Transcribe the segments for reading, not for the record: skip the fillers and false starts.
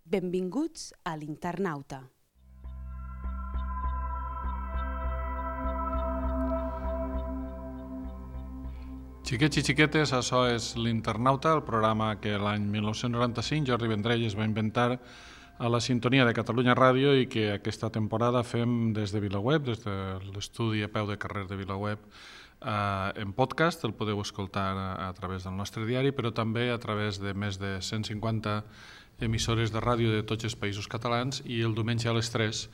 Benvinguts a l'Internauta. Xiquets i xiquetes, això és l'Internauta, el programa que l'any 1995 Jordi Vendrell es va inventar a la sintonia de Catalunya Ràdio i que aquesta temporada fem des de VilaWeb, des de l'estudi a peu de carrer de VilaWeb, en podcast. El podeu escoltar a través del nostre diari, però també a través de més de 150 emissores de ràdio de tots els països catalans, i el diumenge a les 3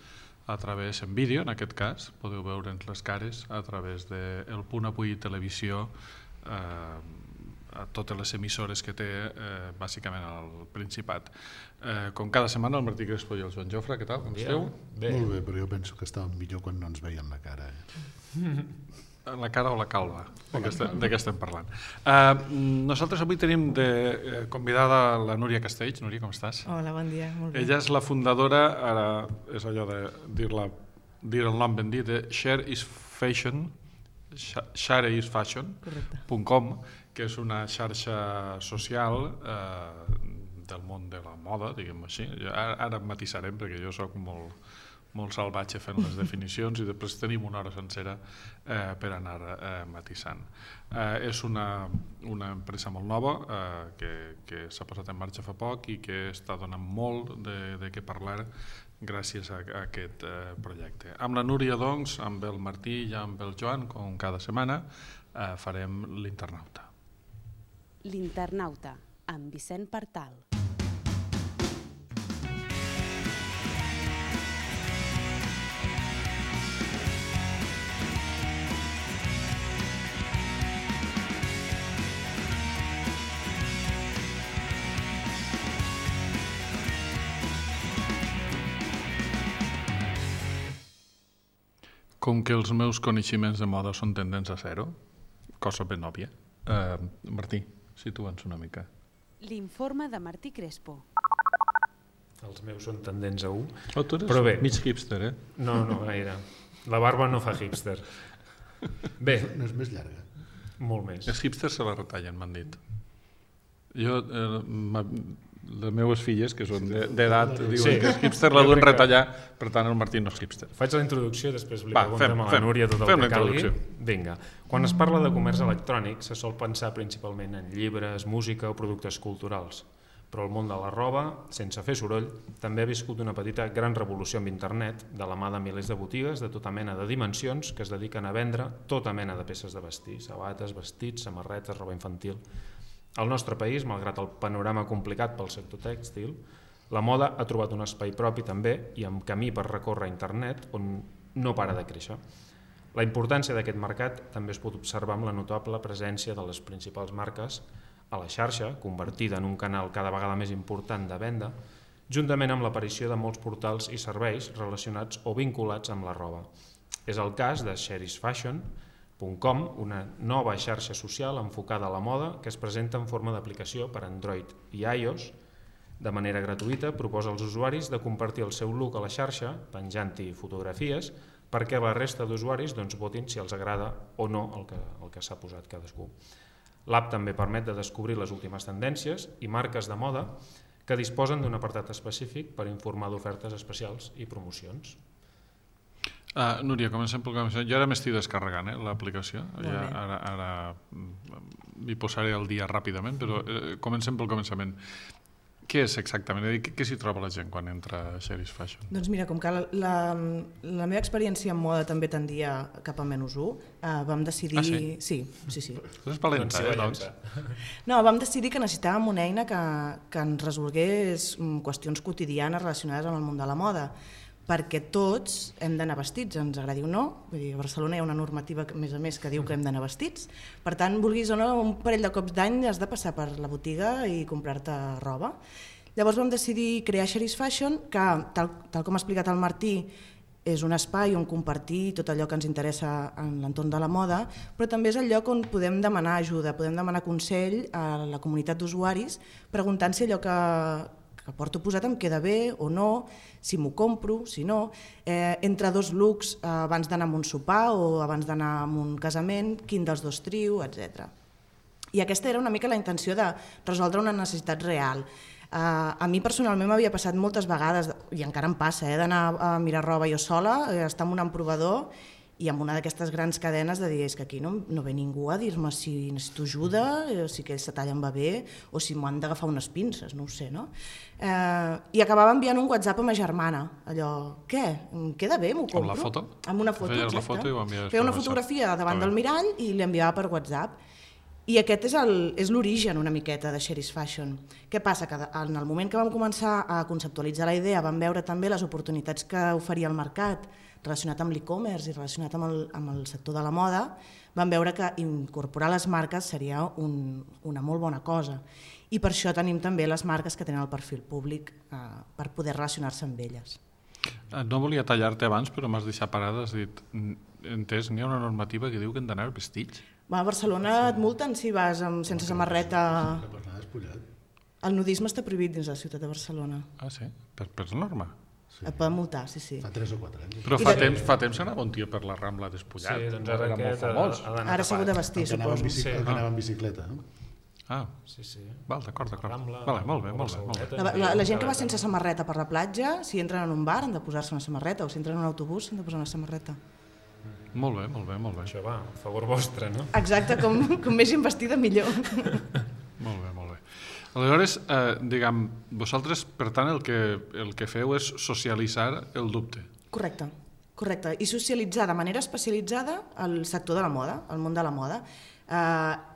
a través en vídeo, en aquest cas, podeu veure'ns les cares a través de El Punt Avui Televisió, a totes les emissores que té bàsicament al Principat. Com cada setmana, el Martí Crespo i el Joan Jofre, què tal? Com esteu? Bé. Molt bé, però jo penso que estàvem millor quan no ens veien la cara. La cara o la calva? De què estem parlant? Nosaltres avui tenim de convidada la Núria Castells. Núria, com estàs? Hola, bon dia, molt bé. Ella és la fundadora, ara és allò de dir el nom ben dit, de shareisfashion.com, que és una xarxa social del món de la moda, diguem-ho així. Ara matisarem, perquè jo soc molt salvatge fent les definicions i després tenim una hora sencera per anar matisant. És una empresa molt nova que s'ha posat en marxa fa poc i que està donant molt de què parlar gràcies a aquest projecte. Amb la Núria, doncs, amb el Martí i amb el Joan, com cada setmana, farem l'Internauta. L'Internauta, amb Vicent Partal. Com que els meus coneixements de moda són tendents a zero, cosa ben òbvia, Martí, situa'ns una mica. L'informe de Martí Crespo. Els meus són tendents a 1. Oh, tu eres mig hipster, eh? No gaire. La barba no fa hipster. Bé. No és més llarga? Molt més. Els hipsters se la retallen, m'han dit. Jo... les meves filles, que són d'edat, diuen que és hipster, la duen retallar, per tant el Martí no és hipster. Faig la introducció i després li preguntem a la Núria tot el que calgui. Vinga. Quan es parla de comerç electrònic se sol pensar principalment en llibres, música o productes culturals, però el món de la roba, sense fer soroll, també ha viscut una petita gran revolució amb internet, de la mà de milers de botigues de tota mena de dimensions que es dediquen a vendre tota mena de peces de vestir, sabates, vestits, samarretes, roba infantil. Al nostre país, malgrat el panorama complicat pel sector tèxtil, la moda ha trobat un espai propi també i amb camí per recórrer a internet on no para de créixer. La importància d'aquest mercat també es pot observar amb la notable presència de les principals marques a la xarxa, convertida en un canal cada vegada més important de venda, juntament amb l'aparició de molts portals i serveis relacionats o vinculats amb la roba. És el cas de shareisfashion.com, una nova xarxa social enfocada a la moda que es presenta en forma d'aplicació per Android i iOS. De manera gratuïta proposa als usuaris de compartir el seu look a la xarxa, penjant-hi fotografies, perquè la resta d'usuaris votin si els agrada o no el que s'ha posat cadascú. L'app també permet de descobrir les últimes tendències i marques de moda que disposen d'un apartat específic per informar d'ofertes especials i promocions. Núria, comencem pel començament. Jo ara m'estic descarregant l'aplicació. Ara m'hi posaré al dia ràpidament, però comencem pel començament. Què és exactament? Què s'hi troba la gent quan entra a shareisfashion? Doncs mira, com que la meva experiència en moda també tendia cap a -1, vam decidir... Ah, sí? Sí. És valenta, doncs. No, vam decidir que necessitàvem una eina que ens resolgués qüestions quotidianes relacionades amb el món de la moda, perquè tots hem d'anar vestits, ens agradi o no. Vull dir, a Barcelona hi ha una normativa, a més que diu que hem d'anar vestits. Per tant, vulguis o no, un parell de cops d'any has de passar per la botiga i comprar-te roba. Llavors vam decidir crear shareisfashion, que, tal com ha explicat el Martí, és un espai on compartir tot allò que ens interessa en l'entorn de la moda, però també és el lloc on podem demanar ajuda, podem demanar consell a la comunitat d'usuaris, preguntant si allò que porto posat em queda bé o no, si m'ho compro, si no, entre dos looks abans d'anar a un sopar o abans d'anar a un casament, quin dels dos trio, etc. I aquesta era una mica la intenció de resoldre una necessitat real. A mi personalment m'havia passat moltes vegades, i encara em passa, d'anar a mirar roba jo sola, estar en un emprovador i amb una d'aquestes grans cadenes de dir és que aquí no ve ningú a dir-me si necessito ajuda, si aquell se talla em va bé o si m'han d'agafar unes pinces, no ho sé, no? I acabava enviant un WhatsApp a ma germana, allò, què? Em queda bé, m'ho compro? Amb la foto? Amb una foto, exacte. La foto i ho enviaves per Feia una fotografia davant del mirall i li enviava per WhatsApp. I aquest és l'origen una miqueta de Sherry's Fashion. Què passa? Que en el moment que vam començar a conceptualitzar la idea vam veure també les oportunitats que oferia el mercat relacionat amb l'e-commerce i relacionat amb el sector de la moda, vam veure que incorporar les marques seria una molt bona cosa. I per això tenim també les marques que tenen el perfil públic per poder relacionar-se amb elles. No volia tallar-te abans, però m'has deixat parada, has dit, entès, n'hi ha una normativa que diu que hem d'anar vestits? A Barcelona et multen si vas sense samarreta. El nudisme està prohibit dins la ciutat de Barcelona. Ah, sí? Per norma? Sí. Et poden multar, sí. Fa 3 o 4 anys. Però fa temps anava un tio per la Rambla despullat. Sí, doncs ara aquest... Ara s'ha hagut de vestir, suposo. El que anava en bicicleta. Ah, sí. Val, d'acord. Vale, molt bé. La gent que va sense samarreta per la platja, si entren en un bar han de posar-se una samarreta, o si entren en un autobús han de posar una samarreta. Molt bé. Això va, a favor vostre, no? Exacte, com més investida millor. Molt bé. Aleshores, diguem, vosaltres, per tant, el que feu és socialitzar el dubte. Correcte. I socialitzar de manera especialitzada el sector de la moda, el món de la moda.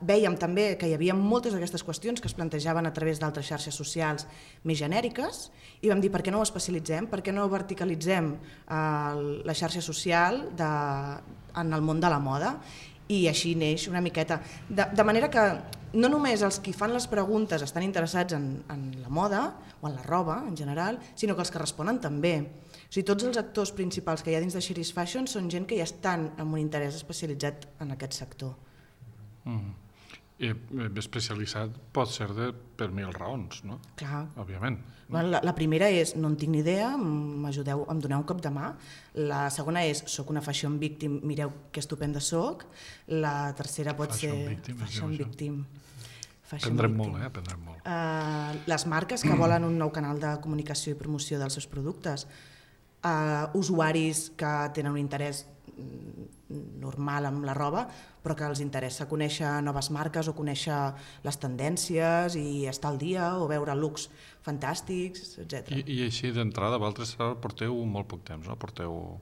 Vèiem també que hi havia moltes d'aquestes qüestions que es plantejaven a través d'altres xarxes socials més genèriques i vam dir per què no ho especialitzem, per què no verticalitzem la xarxa social en el món de la moda, i així neix una miqueta. De manera que no només els qui fan les preguntes estan interessats en la moda o en la roba en general, sinó que els que responen també. O sigui, tots els actors principals que hi ha dins de Sherry's Fashion són gent que ja estan amb un interès especialitzat en aquest sector. I especialitzat pot ser per 1000 raons, no? Clar. Òbviament. La primera és no en tinc ni idea, m'ajudeu, em doneu un cop de mà. La segona és soc una fashion victim, mireu que estupenda soc. La tercera pot ser fashion victim. Aprendrem molt. Les marques que volen un nou canal de comunicació i promoció dels seus productes, usuaris que tenen un interès normal amb la roba, però que els interessa conèixer noves marques o conèixer les tendències i estar al dia o veure looks fantàstics, etc. I així d'entrada, vosaltres porteu molt poc temps, no? Porteu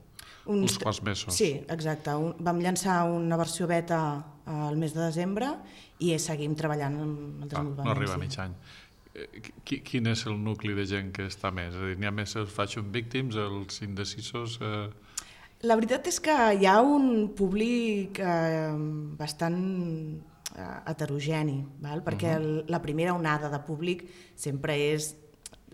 uns quants mesos. Sí, exacte. Vam llançar una versió beta al mes de desembre i seguim treballant amb el desenvolupament. No arriba a mig any. Quin és el nucli de gent que està més? És a dir, n'hi ha més els fashion victims, els indecisos... La veritat és que hi ha un públic bastant heterogeni, perquè la primera onada de públic sempre és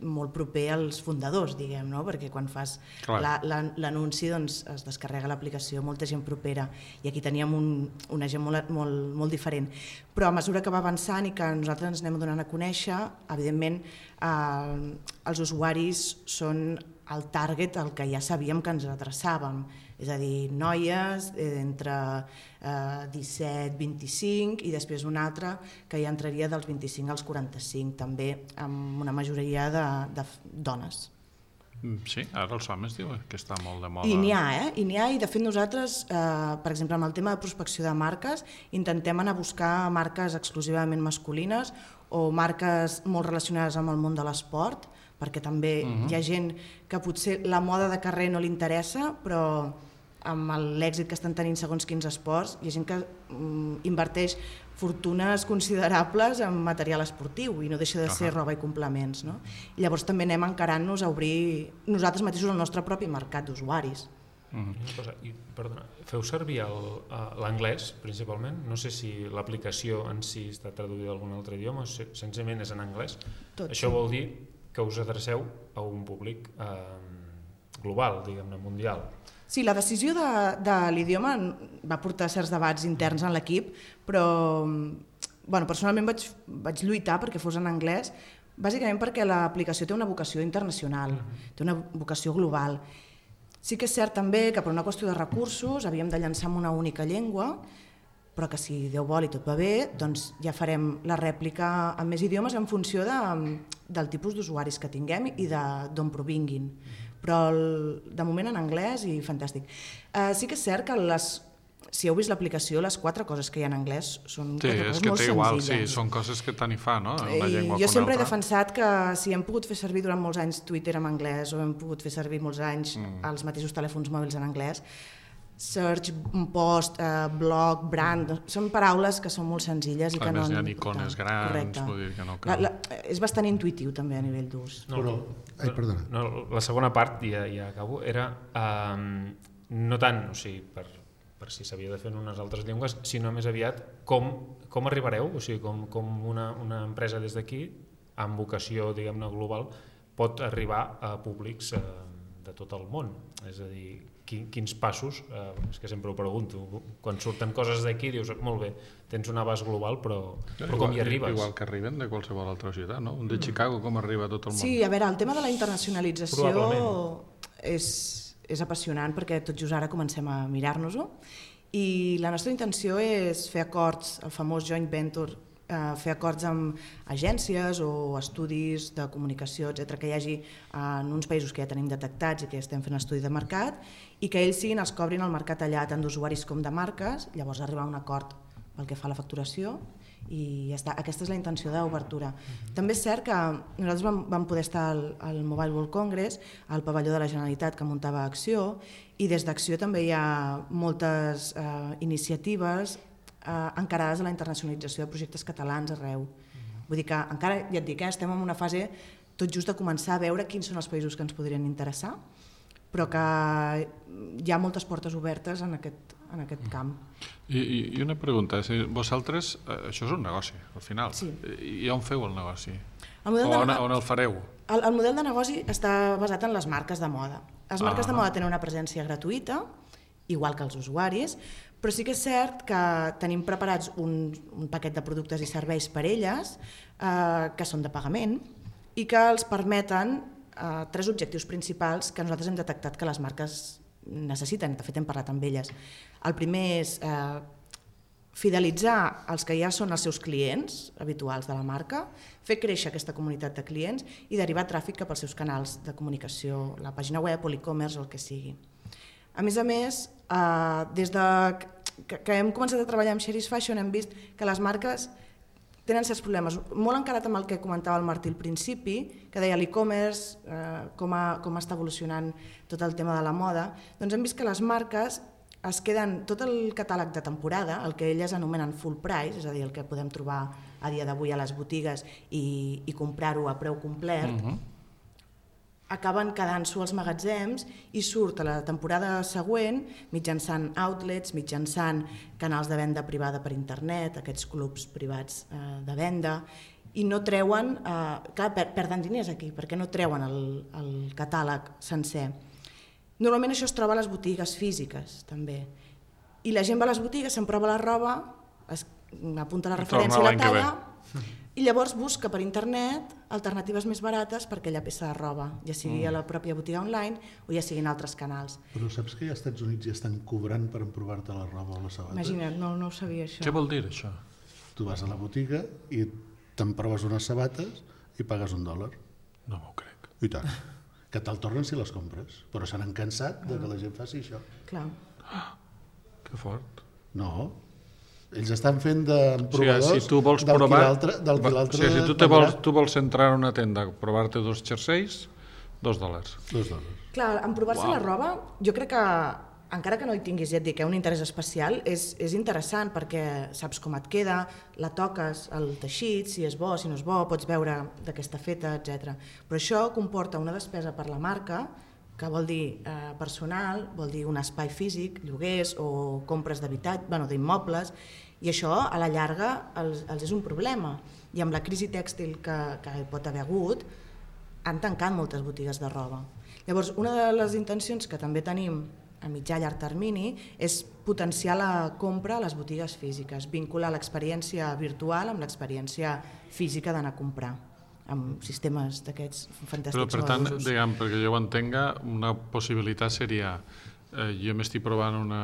molt proper als fundadors, diguem, no? Perquè quan fas l'anunci doncs, es descarrega l'aplicació molta gent propera i aquí teníem una gent molt diferent. Però a mesura que va avançant i que nosaltres ens anem donant a conèixer, evidentment els usuaris són el target al que ja sabíem que ens adreçàvem, és a dir, noies entre 17, 25 i després una altra que ja entraria dels 25 als 45, també amb una majoria de dones. Sí, ara els homes diuen que està molt de moda. I n'hi ha, i de fet nosaltres, per exemple, amb el tema de prospecció de marques, intentem anar a buscar marques exclusivament masculines o marques molt relacionades amb el món de l'esport, perquè també hi ha gent que potser la moda de carrer no li interessa, però amb l'èxit que estan tenint segons quins esports, hi ha gent que inverteix fortunes considerables en material esportiu i no deixa de ser roba i complements. No? I llavors també anem encarant-nos a obrir nosaltres mateixos el nostre propi mercat d'usuaris. Perdona, feu servir l'anglès principalment? No sé si l'aplicació en si està traduïda a algun altre idioma, senzillament és en anglès. Això vol dir que us adreceu a un públic global, diguem-ne, mundial. Sí, la decisió de l'idioma va portar certs debats interns en l'equip, però personalment vaig lluitar perquè fos en anglès, bàsicament perquè l'aplicació té una vocació internacional, té una vocació global. Sí que és cert també que per una qüestió de recursos havíem de llançar en una única llengua però que si Déu vol i tot va bé, doncs ja farem la rèplica en més idiomes en funció del tipus d'usuaris que tinguem i d'on provinguin. Però de moment en anglès i fantàstic. Sí que és cert que si heu vist l'aplicació, les 4 coses que hi ha en anglès són 4 coses molt senzilles. Sí, són coses que tant hi fa, no? Una llengua jo sempre he defensat que si hem pogut fer servir durant molts anys Twitter en anglès o hem pogut fer servir molts anys els mateixos telèfons mòbils en anglès, search, post, blog, brand, són paraules que són molt senzilles i que no... A més, hi ha icones grans, vull dir que no cal. És bastant intuïtiu també a nivell d'ús. Perdona. La segona part, ja acabo, era no tant, o sigui, per si s'havia de fer en unes altres llengües, sinó més aviat com arribareu, o sigui, com una empresa des d'aquí, amb vocació, diguem-ne, global, pot arribar a públics de tot el món. És a dir, quins passos, és que sempre ho pregunto, quan surten coses d'aquí dius, molt bé, tens un abast global, però com hi arribes? Igual que arriben de qualsevol altra ciutat, no? Un de Chicago, com arriba a tot el món? Sí, a veure, el tema de la internacionalització és apassionant perquè tot just ara comencem a mirar-nos-ho i la nostra intenció és fer acords, el famós joint venture, fer acords amb agències o estudis de comunicació, etc que hi hagi en uns països que ja tenim detectats i que estem fent estudi de mercat i que ells siguin els que obrin el mercat allà tant d'usuaris com de marques, llavors arribar a un acord pel que fa a la facturació i ja està. Aquesta és la intenció d'obertura. També és cert que nosaltres vam poder estar al Mobile World Congress, al pavelló de la Generalitat que muntava Acció, i des d'Acció també hi ha moltes iniciatives encarades a la internacionalització de projectes catalans arreu. Vull dir que encara, ja et dic, estem en una fase tot just de començar a veure quins són els països que ens podrien interessar, però que hi ha moltes portes obertes en aquest camp. I una pregunta, vosaltres, això és un negoci, al final, i on feu el negoci? On el fareu? El model de negoci està basat en les marques de moda. Les marques de moda tenen una presència gratuïta, igual que els usuaris, però sí que és cert que tenim preparats un paquet de productes i serveis per elles que són de pagament i que els permeten 3 objectius principals que nosaltres hem detectat que les marques necessiten, de fet hem parlat amb elles. El primer és fidelitzar els que ja són els seus clients habituals de la marca, fer créixer aquesta comunitat de clients i derivar tràfic cap als seus canals de comunicació, la pàgina web o l'e-commerce o el que sigui. A més, des que hem començat a treballar amb Sheri's Fashion hem vist que les marques tenen certs problemes, molt encarat amb el que comentava el Martí al principi, que deia l'e-commerce, com està evolucionant tot el tema de la moda, doncs hem vist que les marques es queden tot el catàleg de temporada, el que elles anomenen full price, és a dir, el que podem trobar a dia d'avui a les botigues i comprar-ho a preu complet, acaben quedant-s'ho als magatzems i surt a la temporada següent mitjançant outlets, mitjançant canals de venda privada per internet, aquests clubs privats de venda, i no treuen, clar, perden diners aquí, perquè no treuen el catàleg sencer. Normalment això es troba a les botigues físiques, també. I la gent va a les botigues, s'emprova la roba, apunta la referència i la talla, i llavors busca per internet alternatives més barates per aquella peça de roba, ja sigui a la pròpia botiga online o ja sigui en altres canals. Però saps que ja als Estats Units ja estan cobrant per emprovar-te la roba o la sabata? Imagina't, no ho sabia això. Què vol dir això? Tu vas a la botiga i t'emproves unes sabates i pagues $1. No m'ho crec. I tant. Que te'l tornen si les compres, però se n'han cansat de que la gent faci això. Clar. Que fort. No, ells estan fent d'emprovadors si tu vols del provar, qui l'altre... Si tu vols entrar en una tenda a provar-te 2 jerseis, $2. Clar, en provar-se la roba, jo crec que, encara que no hi tinguis, ja et dic, un interès especial, és interessant perquè saps com et queda, la toques, el teixit, si és bo, si no és bo, pots veure de què està feta, etc. Però això comporta una despesa per la marca, que vol dir personal, vol dir un espai físic, lloguers o compres d'immobles, i això a la llarga els és un problema. I amb la crisi tèxtil que pot haver hagut, han tancat moltes botigues de roba. Llavors, una de les intencions que també tenim a mitjà i llarg termini és potenciar la compra a les botigues físiques, vincular l'experiència virtual amb l'experiència física d'anar a comprar, amb sistemes d'aquests fantàstics. Però per tant, diguem, perquè jo ho entenga, una possibilitat seria jo m'estic provant una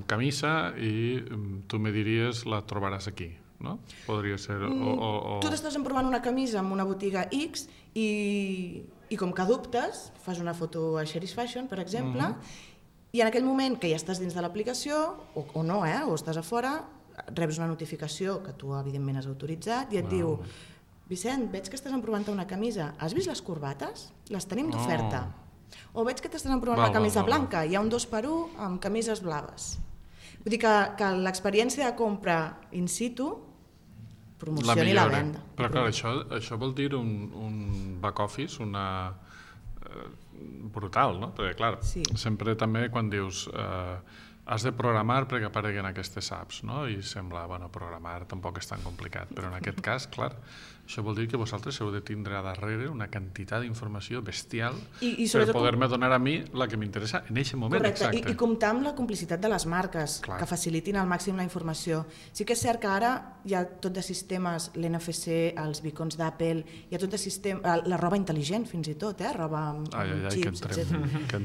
camisa i tu me diries la trobaràs aquí, no? Podria ser... Tu t'estàs provant una camisa en una botiga X i com que dubtes, fas una foto a Sheri's Fashion, per exemple, i en aquell moment que ja estàs dins de l'aplicació, o no, o estàs a fora, reps una notificació que tu evidentment has autoritzat i et diu: Vicent, veig que estàs provant una camisa, has vist les corbates? Les tenim d'oferta. O veig que t'estàs provant una camisa blanca, hi ha un 2x1 amb camises blaves. Vull dir que l'experiència de compra in situ promocioni la venda. Però clar, això vol dir un back office, brutal, no? Perquè clar, sempre també quan dius has de programar perquè apareguen aquestes apps, no? I sembla, bueno, programar tampoc és tan complicat, però en aquest cas, clar, això vol dir que vosaltres heu de tindre a darrere una quantitat d'informació bestial per poder-me donar a mi la que m'interessa en aquest moment. Correcte, i comptar amb la complicitat de les marques, que facilitin al màxim la informació. Sí que és cert que ara hi ha tot de sistemes, l'NFC, els beacons d'Apple, hi ha tot de sistemes, la roba intel·ligent fins i tot, roba amb xips, etc. Que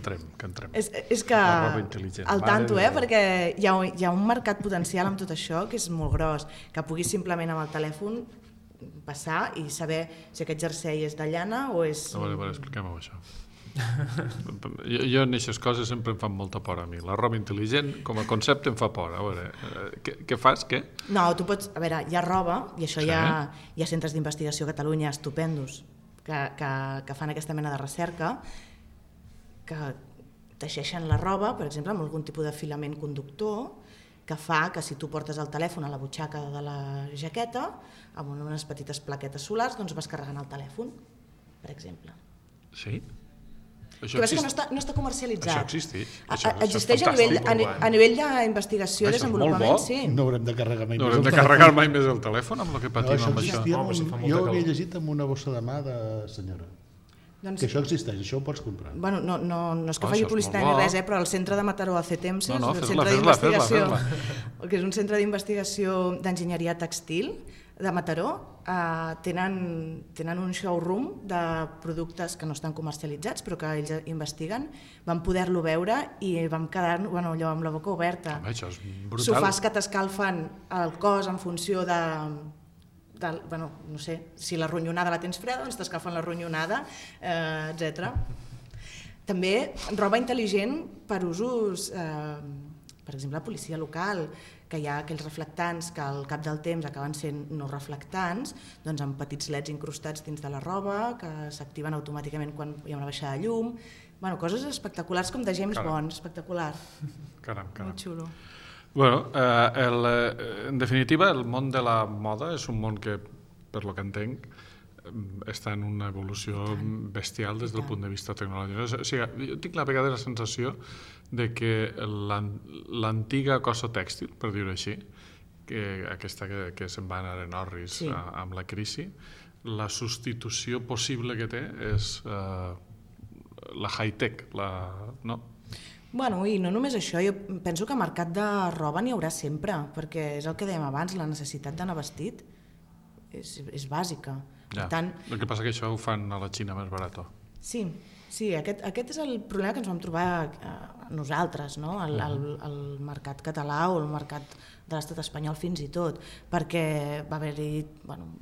entrem. És que al tanto, perquè hi ha un mercat potencial amb tot això que és molt gros, que puguis simplement amb el telèfon passar i saber si aquest jersei és de llana o és... A veure, expliquem-ho això. Jo en aquestes coses sempre em fan molta por a mi. La roba intel·ligent com a concepte em fa por. A veure, què fas? Què? No, tu pots... A veure, hi ha roba, i això hi ha centres d'investigació a Catalunya estupendos que fan aquesta mena de recerca, que teixeixen la roba, per exemple, amb algun tipus de filament conductor, que fa que si tu portes el telèfon a la butxaca de la jaqueta, amb unes petites plaquetes solars, doncs vas carregant el telèfon, per exemple. Sí? Això no està comercialitzat. Això existeix. Existeix a nivell d'investigació i desenvolupament, sí. No haurem de carregar mai més el telèfon. No haurem de carregar mai més el telèfon amb el que patim amb això. Jo ho havia llegit amb una bossa de mà de senyora. Que això existeix, això ho pots comprar. Bueno, no és que faci publicitat ni res, però el centre de Mataró, el CETEMS, el centre d'investigació, que és un centre d'investigació d'enginyeria tèxtil de Mataró, tenen un showroom de productes que no estan comercialitzats, però que ells investiguen. Vam poder-lo veure i vam quedar allò amb la boca oberta. Això és brutal. Sofàs que t'escalfen el cos en funció de no sé, si la ronyonada la tens freda, doncs t'escalfen la ronyonada, etc. També roba intel·ligent per usos, per exemple, la policia local, que hi ha aquells reflectants que al cap del temps acaben sent no reflectants, doncs amb petits leds incrustats dins de la roba, que s'activen automàticament quan hi ha una baixada de llum. Coses espectaculars com de James Bond, espectacular. Caram. Molt xulo. Bueno, en definitiva, el món de la moda és un món que, per lo que entenc, està en una evolució bestial des del punt de vista tecnològic. O sigui, jo tinc la vegada la sensació de que l'antiga cosa tèxtil, per dir-ho així, aquesta que se'n va anar en orris amb la crisi, la substitució possible que té és la high-tech, no? Bueno, i no només això, jo penso que mercat de roba n'hi haurà sempre, perquè és el que dèiem abans, la necessitat d'anar vestit és bàsica. Ja. El que passa que això ho fan a la Xina més barat. Sí, aquest és el problema que ens vam trobar nosaltres, no? El mercat català o el mercat de l'estat espanyol fins i tot, perquè va haver-hi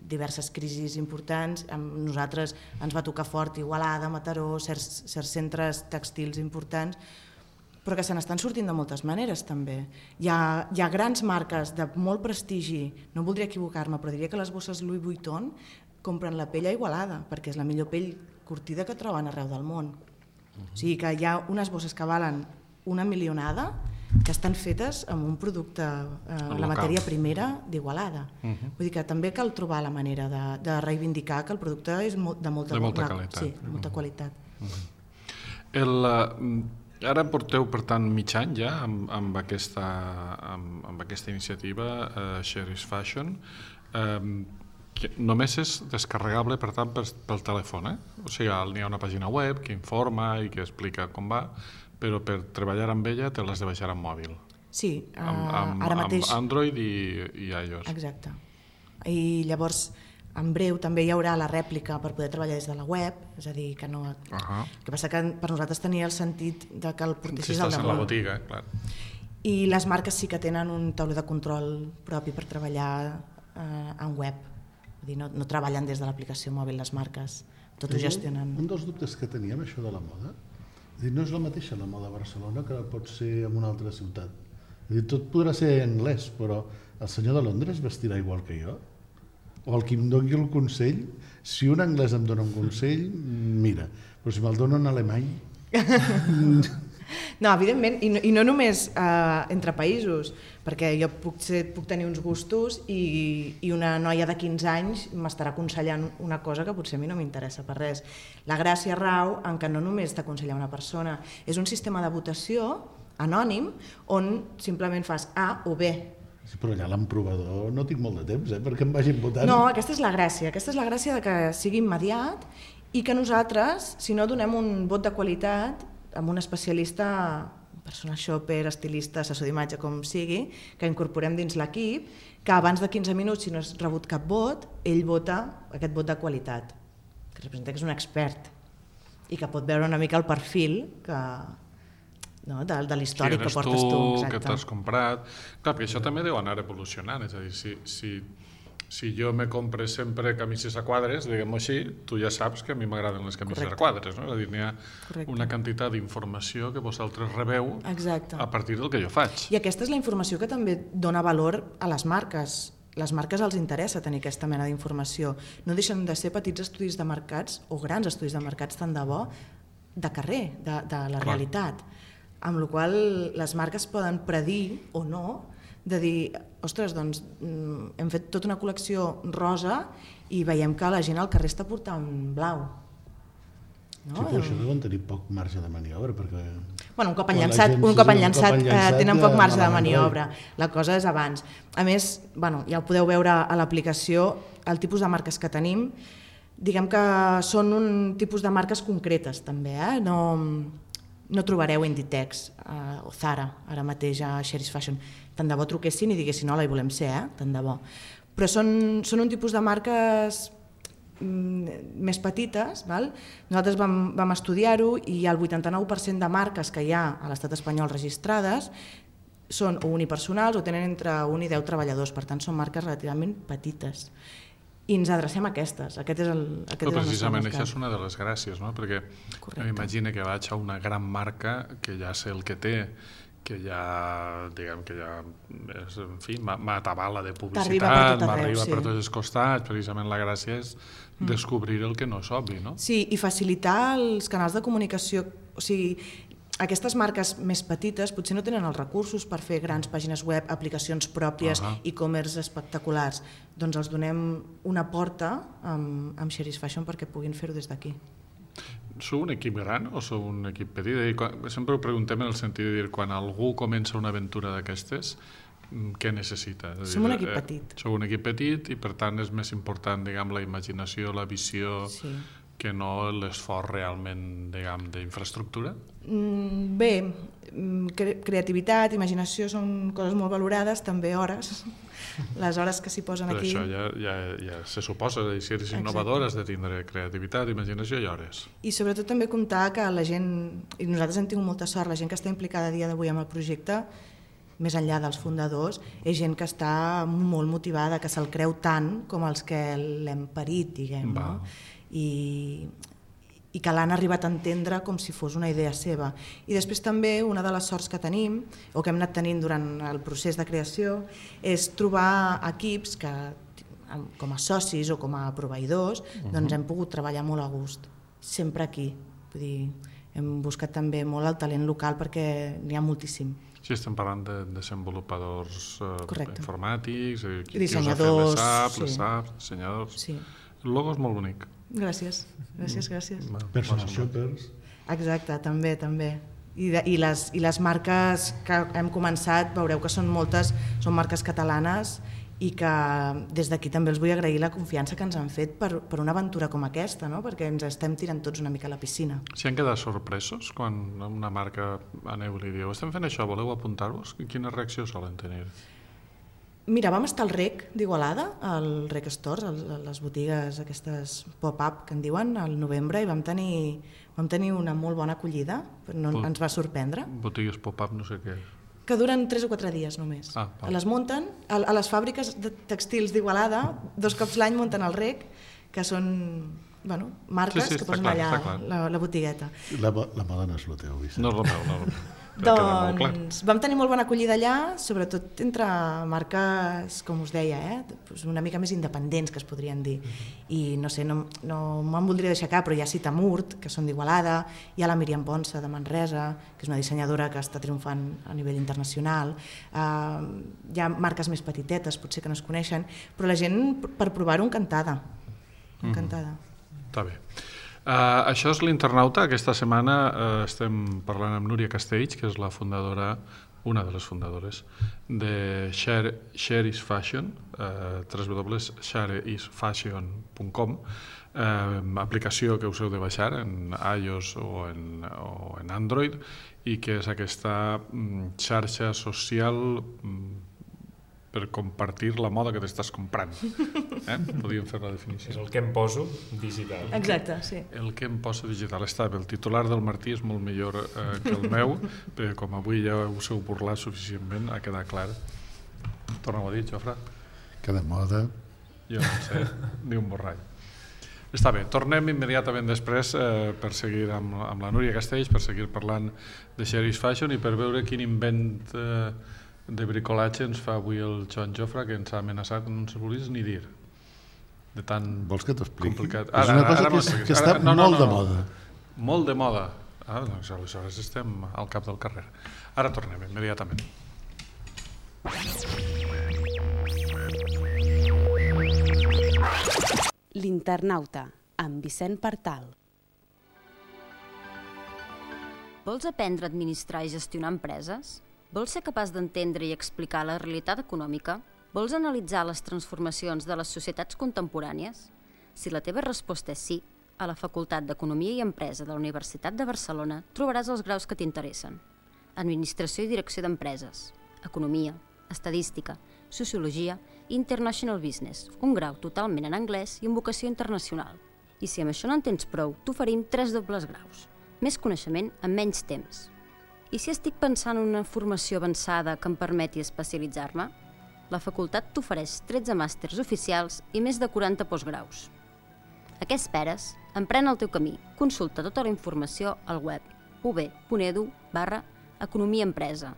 diverses crisis importants, amb nosaltres ens va tocar fort Igualada, Mataró, certs centres tèxtils importants, però que se n'estan sortint de moltes maneres també. Hi ha grans marques de molt prestigi, no voldria equivocar-me, però diria que les bosses Louis Vuitton compren la pell a Igualada, perquè és la millor pell curtida que troben arreu del món. O sigui que hi ha unes bosses que valen una milionada que estan fetes amb un producte, la matèria primera d'Igualada. Vull dir que també cal trobar la manera de reivindicar que el producte és de molta qualitat. Sí, de molta qualitat. Ara porteu, per tant, mig any ja amb aquesta iniciativa, Sheri's Fashion, que només és descarregable, per tant, pel telèfon. O sigui, n'hi ha una pàgina web que informa i que explica com va, però per treballar amb ella te l'has de baixar amb mòbil. Sí, ara mateix... Amb Android i iOS. Exacte. I llavors en breu també hi haurà la rèplica per poder treballar des de la web, és a dir, que no... El que passa que per nosaltres tenia el sentit de que el portessis al damunt. Si estàs en la botiga, clar. I les marques sí que tenen un tauler de control propi per treballar en web. Vull dir, no treballen des de l'aplicació mòbil les marques, tot ho gestionen. Un dels dubtes que teníem, això de la moda, no és la mateixa la moda a Barcelona que pot ser en una altra ciutat. Tot podrà ser anglès, però el senyor de Londres vestirà igual que jo? O el qui em doni el consell, si un anglès em dona un consell, mira, però si me'l dona un alemany... No, evidentment, i no només entre països, perquè jo puc tenir uns gustos i una noia de 15 anys m'estarà aconsellant una cosa que potser a mi no m'interessa per res. La gràcia rau en què no només t'aconsella una persona, és un sistema de votació anònim on simplement fas A o B. Sí, però allà l'emprovador no tinc molt de temps, perquè em vagin votant. No, aquesta és la gràcia de que sigui immediat i que nosaltres, si no donem un vot de qualitat amb un especialista, personal shopper, estilista, assessor d'imatge, com sigui, que incorporem dins l'equip, que abans de 15 minuts, si no has rebut cap vot, ell vota aquest vot de qualitat, que representa que és un expert i que pot veure una mica el perfil de l'històric que portes tu. Que t'has comprat. Clar, perquè això també deu anar evolucionant, és a dir, si jo me compre sempre camises a quadres, diguem-ho així, tu ja saps que a mi m'agraden les camises a quadres, no? És a dir, n'hi ha una quantitat d'informació que vosaltres rebeu a partir del que jo faig. I aquesta és la informació que també dona valor a les marques. Les marques els interessa tenir aquesta mena d'informació. No deixen de ser petits estudis de mercats o grans estudis de mercats tant de bo de carrer, de la realitat. Amb la qual cosa les marques poden predir o no de dir, ostres, doncs hem fet tota una col·lecció rosa i veiem que la gent al carrer està portant blau. Sí, però això deuen tenir poc marge de maniobra, perquè... Bueno, un cop enllançat tenen poc marge de maniobra. La cosa és abans. A més, ja ho podeu veure a l'aplicació, el tipus de marques que tenim, diguem que són un tipus de marques concretes, també, no trobareu Inditex o Zara, ara mateix a Sheri's Fashion. Tant de bo truquessin i diguessin, hola, hi volem ser, tant de bo. Però són un tipus de marques més petites. Nosaltres vam estudiar-ho i el 89% de marques que hi ha a l'estat espanyol registrades són o unipersonals o tenen entre 1 i 10 treballadors, per tant són marques relativament petites. I ens adrecem a aquestes. Aquest és el nostre mercat. Precisament això és una de les gràcies, no? Perquè m'imagino que vaig a una gran marca que ja sé el que té, que ja, diguem, que ja, en fi, m'atabala de publicitat, m'arriba per tots els costats, precisament la gràcia és descobrir el que no és obvi, no? Sí, i facilitar els canals de comunicació, o sigui, aquestes marques més petites potser no tenen els recursos per fer grans pàgines web, aplicacions pròpies, e-commerce espectaculars. Doncs els donem una porta amb Sheri's Fashion perquè puguin fer-ho des d'aquí. Sou un equip gran o sou un equip petit? Sempre ho preguntem en el sentit de dir, quan algú comença una aventura d'aquestes, què necessita? Som un equip petit. Sou un equip petit i per tant és més important, diguem, la imaginació, la visió... que no l'esforç realment, diguem, d'infraestructura? Bé, creativitat, imaginació són coses molt valorades, també hores, les hores que s'hi posen aquí. Però això ja se suposa, si eres innovador has de tindre creativitat, imaginació i hores. I sobretot també comptar que la gent, i nosaltres hem tingut molta sort, la gent que està implicada a dia d'avui amb el projecte, més enllà dels fundadors, és gent que està molt motivada, que se'l creu tant com els que l'hem parit, diguem, no? I que l'han arribat a entendre com si fos una idea seva. I després també una de les sorts que tenim, o que hem anat tenint durant el procés de creació, és trobar equips que, com a socis o com a proveïdors, doncs hem pogut treballar molt a gust, sempre aquí. Vull dir, hem buscat també molt el talent local perquè n'hi ha moltíssim. Sí, estem parlant de desenvolupadors informàtics, dissenyadors, les apps, dissenyadors. El logo és molt bonic. Gràcies, gràcies. Personal shoppers. Exacte, també. I les marques que hem començat, veureu que són moltes, són marques catalanes i que des d'aquí també els vull agrair la confiança que ens han fet per una aventura com aquesta, no? Perquè ens estem tirant tots una mica a la piscina. Si han quedat sorpresos quan una marca aneu i li diu estem fent això, voleu apuntar-vos? Quina reacció solen tenir? Mira, vam estar al REC d'Igualada, al REC Stores, les botigues aquestes pop-up que en diuen, al novembre, i vam tenir una molt bona acollida, ens va sorprendre. Botigues pop-up, no sé què. Que duren 3 o 4 dies només. Les munten, a les fàbriques de textils d'Igualada, 2 cops l'any munten al REC, que són marques que posen allà la botigueta. La moda no és el teu, Vicent. No és el meu. Doncs vam tenir molt bona acollida allà, sobretot entre marques, com us deia, una mica més independents, que es podrien dir. I no sé, no me'n voldria deixar cap, però hi ha Citamurt, que són d'Igualada, hi ha la Míriam Ponsa de Manresa, que és una dissenyadora que està triomfant a nivell internacional, hi ha marques més petitetes, potser que no es coneixen, però la gent, per provar-ho, encantada. Està bé. Això és l'Internauta. Aquesta setmana estem parlant amb Núria Castells, que és la fundadora, una de les fundadores de Share is Fashion, www.shareisfashion.com, aplicació que us heu de baixar en iOS o en Android, i que és aquesta xarxa social per compartir la moda que t'estàs comprant. Podríem fer la definició. És el que em poso digital. Exacte, sí. El que em poso digital. Està bé, el titular del Martí és molt millor que el meu, perquè com avui ja us heu burlat suficientment, ha quedat clar. Torna-ho a dir, Jofre. Que de moda. Jo no sé, ni un borrall. Està bé, tornem immediatament després per seguir amb la Núria Castells, per seguir parlant de Share is Fashion i per veure quin invent de bricolatge ens fa avui el Joan Jofre, que ens ha amenaçat, no ens volies ni dir. De tan vols que t'expliqui? Complicat. És una cosa que està molt de moda. Molt de moda. Doncs aleshores estem al cap del carrer. Ara tornem immediatament. L'Internauta, amb Vicent Partal. Vols aprendre a administrar i gestionar empreses? Vols ser capaç d'entendre i explicar la realitat econòmica? Vols analitzar les transformacions de les societats contemporànies? Si la teva resposta és sí, a la Facultat d'Economia i Empresa de la Universitat de Barcelona trobaràs els graus que t'interessen. Administració i Direcció d'Empreses, Economia, Estadística, Sociologia i International Business, un grau totalment en anglès i amb vocació internacional. I si amb això no en tens prou, t'oferim 3 dobles graus. Més coneixement en menys temps. I si estic pensant en una formació avançada que em permeti especialitzar-me? La facultat t'ofereix 13 màsters oficials i més de 40 postgraus. A què esperes? Emprèn el teu camí. Consulta tota la informació al web ub.edu/economia-empresa.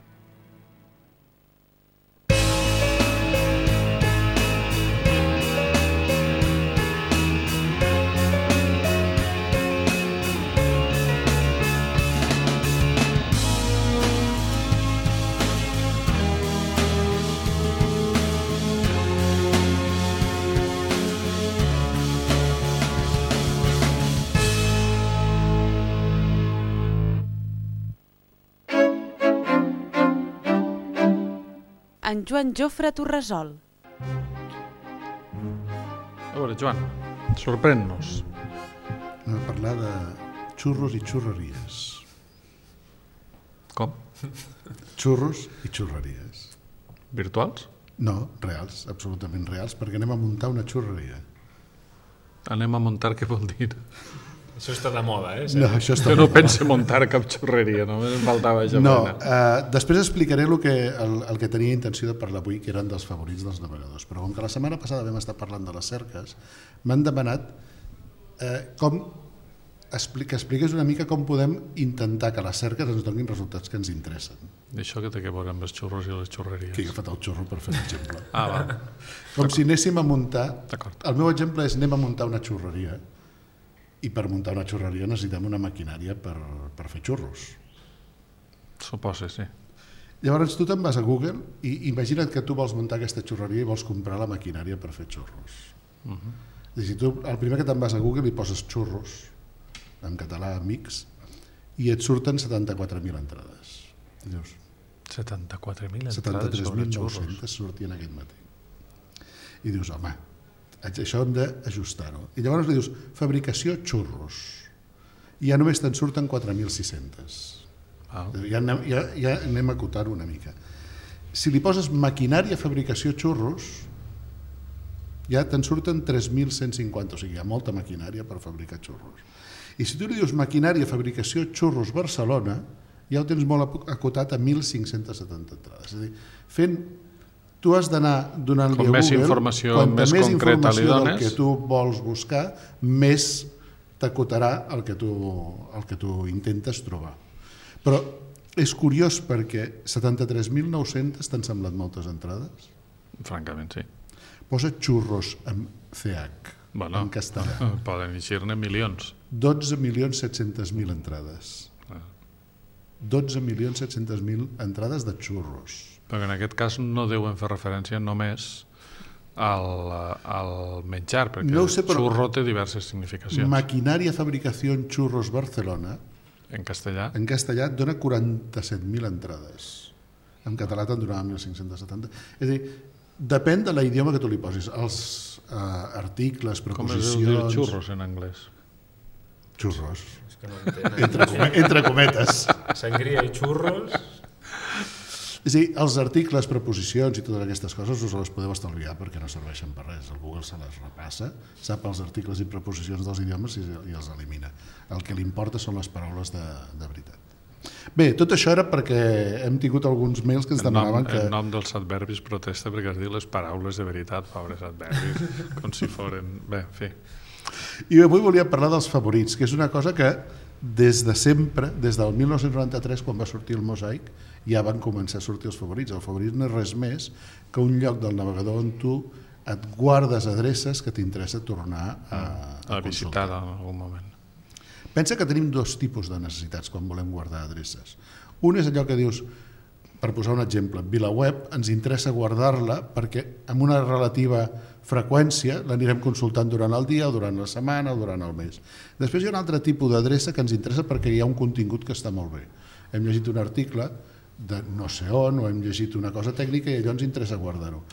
En Joan Jofre t'ho resol. A veure, Joan, sorprèn-nos. Anem a parlar de xurros i xurreries. Com? Xurros i xurreries. Virtuals? No, reals, absolutament reals, perquè anem a muntar una xurreria. Anem a muntar, què vol dir? Això està de moda, No, això està jo no penso muntar cap xurreria, només em faltava això. No, després explicaré el que tenia intenció de parlar avui, que eren dels favorits dels navegadors, però com que la setmana passada vam estar parlant de les cerques, m'han demanat que expliqués una mica com podem intentar que les cerques ens donin resultats que ens interessen. I això que té que veure amb els xurros i les xurreries? Que he agafat el xurro per fer l'exemple. Va. Com si anéssim a muntar... El meu exemple és anem a muntar una xurreria, i per muntar una xurreria necessitem una maquinària per fer xurros. Suposa, sí. Llavors tu te'n vas a Google i imagina't que tu vols muntar aquesta xurreria i vols comprar la maquinària per fer xurros. És a dir, tu el primer que te'n vas a Google i poses xurros, en català mix, i et surten 74.000 entrades. I dius, 74.000 entrades sobre xurros. 73.900 sortien aquest matí. I dius, home, això hem d'ajustar-ho. I llavors li dius, fabricació xurros. I ja només te'n surten 4.600. Ja anem a acotar-ho una mica. Si li poses maquinària fabricació xurros, ja te'n surten 3.150, o sigui, hi ha molta maquinària per fabricar xurros. I si tu li dius maquinària fabricació xurros Barcelona, ja ho tens molt acotat a 1.570 entrades. És a dir, tu has d'anar donant-li a Google, més informació més concreta li dones, del que tu vols buscar, més t'acotarà el que tu intentes trobar. Però és curiós perquè 73.900 t'han semblat moltes entrades? Francament, sí. Posa xurros amb CH, en castellà. Poden eixir-ne milions. 12.700.000 entrades. 12.700.000 entrades de xurros. Perquè en aquest cas no deuen fer referència només al menjar, perquè el xurro té diverses significacions. Maquinària fabricació xurros Barcelona, en castellà dona 47.000 entrades. En català te'n donava 1.570. És a dir, depèn de l'idioma que tu li posis. Els articles, preposicions... Com es diu xurros en anglès? Xurros. És que no entenc. Entre cometes. Sangria i xurros... És a dir, els articles, preposicions i totes aquestes coses us les podeu estalviar perquè no serveixen per res. El Google se les repassa, sap els articles i preposicions dels idiomes i els elimina. El que li importa són les paraules de veritat. Bé, tot això era perquè hem tingut alguns mails que ens demanaven que... En nom dels adverbis protesta perquè has dit les paraules de veritat, pobres adverbis, com si foren... Bé, en fi. I avui volia parlar dels favorits, que és una cosa que des de sempre, des del 1993, quan va sortir el Mosaic, ja van començar a sortir els favorits. El favorit no és res més que un lloc del navegador on tu et guardes adreces que t'interessa tornar a visitar en algun moment. Pensa que tenim dos tipus de necessitats quan volem guardar adreces. Un és allò que dius, per posar un exemple, VilaWeb, ens interessa guardar-la perquè amb una relativa freqüència l'anirem consultant durant el dia, o durant la setmana, o durant el mes. Després hi ha un altre tipus d'adreça que ens interessa perquè hi ha un contingut que està molt bé. Hem llegit un article de no sé on, o hem llegit una cosa tècnica i allò ens interessa guardar-ho.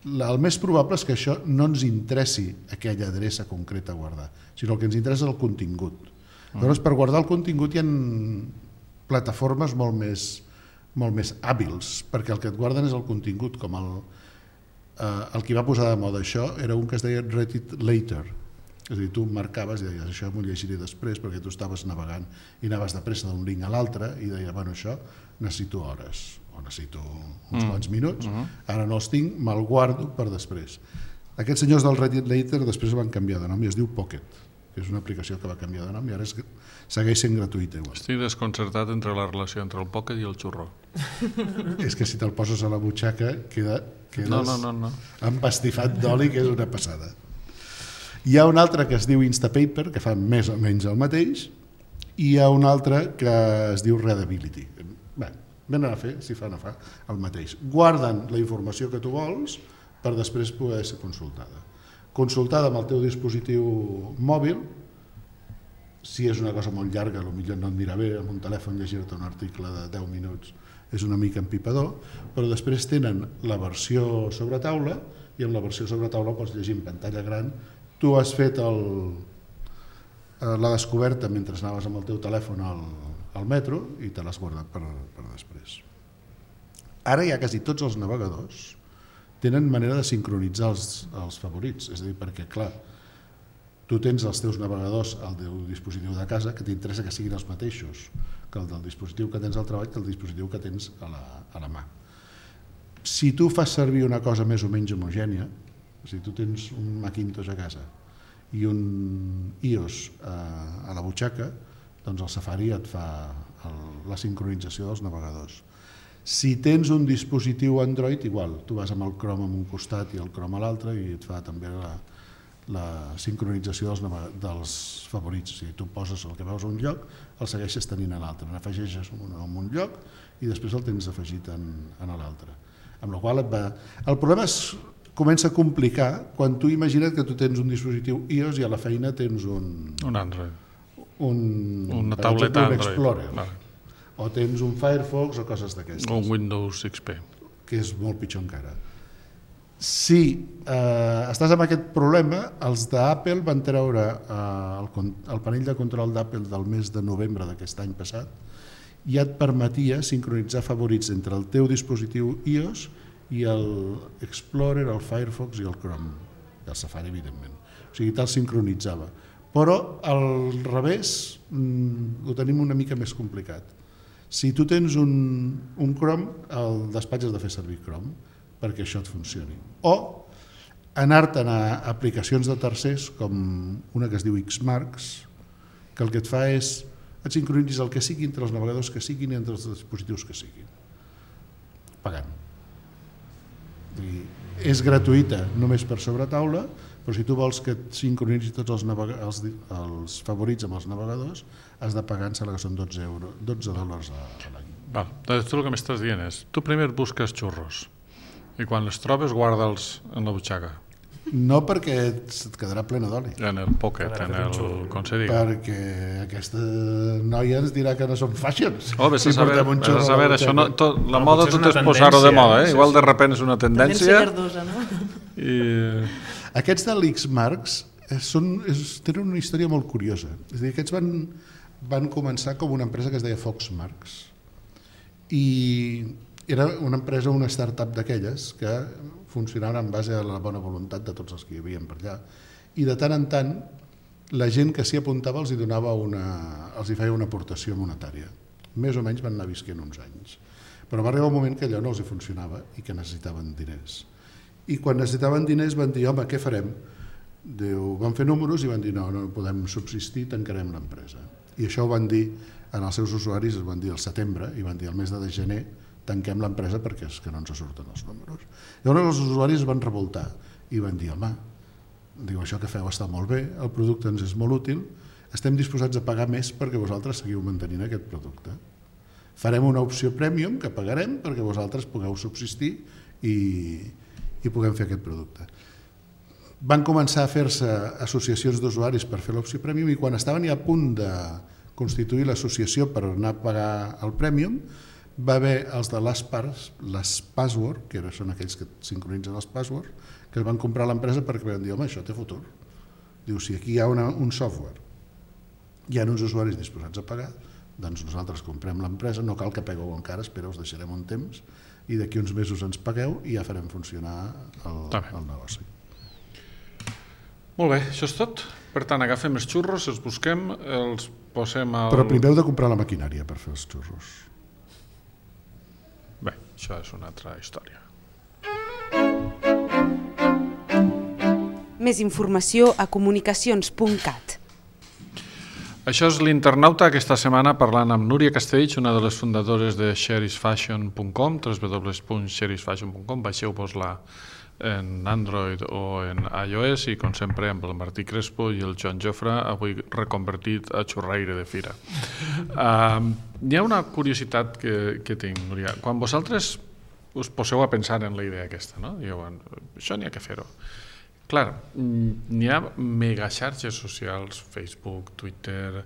El més probable és que això no ens interessi aquella adreça concreta a guardar, sinó el que ens interessa és el contingut. Llavors, per guardar el contingut hi ha plataformes molt més hàbils, perquè el que et guarden és el contingut, com el que va posar de moda això era un que es deia Read It Later. És a dir, tu marcaves i deies, això m'ho llegiré després, perquè tu estaves navegant i anaves de pressa d'un link a l'altre i deies, bueno, això necessito hores o necessito uns quants minuts, ara no els tinc, me'l guardo per després. Aquests senyors del Read It Later després van canviar de nom i es diu Pocket, que és una aplicació que va canviar de nom i ara segueix sent gratuïta. Estic desconcertat entre la relació entre el Pocket i el xurro. És que si te'l poses a la butxaca quedes no. empastifat d'oli, que és una passada. Hi ha un altre que es diu Instapaper, que fa més o menys el mateix, i hi ha un altre que es diu Readability. Bé, venen a fer, si fa no fa, el mateix. Guarden la informació que tu vols per després poder ser consultada. Consultada amb el teu dispositiu mòbil, si és una cosa molt llarga, potser no et mira bé, amb un telèfon llegir-te un article de 10 minuts és una mica empipador, però després tenen la versió sobre taula i amb la versió sobre taula pots llegir en pantalla gran. Tu has fet la descoberta mentre anaves amb el teu telèfon al metro i te l'has guardat per després. Ara ja quasi tots els navegadors tenen manera de sincronitzar els favorits, és a dir, perquè clar, tu tens els teus navegadors al teu dispositiu de casa que t'interessa que siguin els mateixos que el del dispositiu que tens al treball que el dispositiu que tens a la mà. Si tu fas servir una cosa més o menys homogènia, si tu tens un Macintosh a casa i un iOS a la butxaca, doncs el Safari et fa la sincronització dels navegadors. Si tens un dispositiu Android, igual, tu vas amb el Chrome a un costat i el Chrome a l'altre i et fa també la sincronització dels favorits. O sigui, tu poses el que veus a un lloc, el segueixes tenint a l'altre, n'afegeixes en un lloc i després el tens afegit en l'altre. Amb la qual el problema comença a complicar quan tu imagina't que tu tens un dispositiu iOS i a la feina tens un Android. Una tauleta Android. Explorer. Vale. O tens un Firefox o coses d'aquestes. O un Windows XP. Que és molt pitjor encara. Si estàs amb aquest problema, els d'Apple van treure el panell de control d'Apple del mes de novembre d'aquest any passat ja et permetia sincronitzar favorits entre el teu dispositiu iOS i l'Explorer, el Firefox i el Chrome, i el Safari, evidentment. O sigui, te'l sincronitzava. Però al revés ho tenim una mica més complicat. Si tu tens un Chrome, el despatx has de fer servir Chrome perquè això et funcioni. O anar-te'n a aplicacions de tercers, com una que es diu Xmarks, que el que et fa és et sincronitzis el que sigui entre els navegadors que siguin i entre els dispositius que siguin, pagant. És gratuïta només per sobre taula, però si tu vols que et sincronitzi tots els favorits amb els navegadors, has de pagar, em sembla que són $12 a l'any. Tu el que m'estàs dient és, tu primer busques xurros i quan els trobes guarda'ls en la butxaca. No, perquè et quedarà plena d'oli. En el pocket, com se digui. Perquè aquesta noia ens dirà que no són fashions. Vés a saber, això la moda tot és posar-ho de moda, igual de repent és una tendència. Verdosa, no? Aquests de l'Xmarks tenen una història molt curiosa. És a dir, aquests van començar com una empresa que es deia Foxmarks. I era una empresa, una startup d'aquelles que funcionaven en base a la bona voluntat de tots els que hi havia per allà. I de tant en tant, la gent que s'hi apuntava els hi feia una aportació monetària. Més o menys van anar visquent uns anys. Però va arribar un moment que allò no els hi funcionava i que necessitaven diners. I quan necessitaven diners van dir, home, què farem? Van fer números i van dir, no podem subsistir, tancarem l'empresa. I això ho van dir en els seus usuaris, es van dir al setembre, i van dir al mes de gener tanquem l'empresa perquè és que no ens surten els números. Llavors els usuaris es van revoltar i van dir, home, això que feu està molt bé, el producte ens és molt útil, estem disposats a pagar més perquè vosaltres seguiu mantenint aquest producte. Farem una opció premium que pagarem perquè vosaltres pugueu subsistir i puguem fer aquest producte. Van començar a fer-se associacions d'usuaris per fer l'opció premium i quan estaven ja a punt de constituir l'associació per anar a pagar el premium, va haver els de les password, que són aquells que sincronitzen els passwords, que es van comprar l'empresa perquè van dir, home, això té futur. Diu, si aquí hi ha un software, hi ha uns usuaris disposats a pagar, doncs nosaltres comprem l'empresa, no cal que pagueu encara, espera, us deixarem un temps, i d'aquí uns mesos ens pagueu i ja farem funcionar el negoci. Molt bé, això és tot. Per tant, agafem els xurros, els busquem, els posem al... Però primer heu de comprar la maquinària per fer els xurros. Bé, això és una altra història. Més informació a comunicacions.cat. Això és l'Internauta aquesta setmana parlant amb Núria Castells, una de les fundadores de sherishfashion.com, www.sherishfashion.com, baixeu-vos-la en Android o en iOS i com sempre amb el Martí Crespo i el Joan Jofre, avui reconvertit a xurraire de fira. Hi ha una curiositat que tinc, Núria. Quan vosaltres us poseu a pensar en la idea aquesta, no? Dieu, això n'hi ha que fer-ho. Clar, n'hi ha megaxarxes socials, Facebook, Twitter,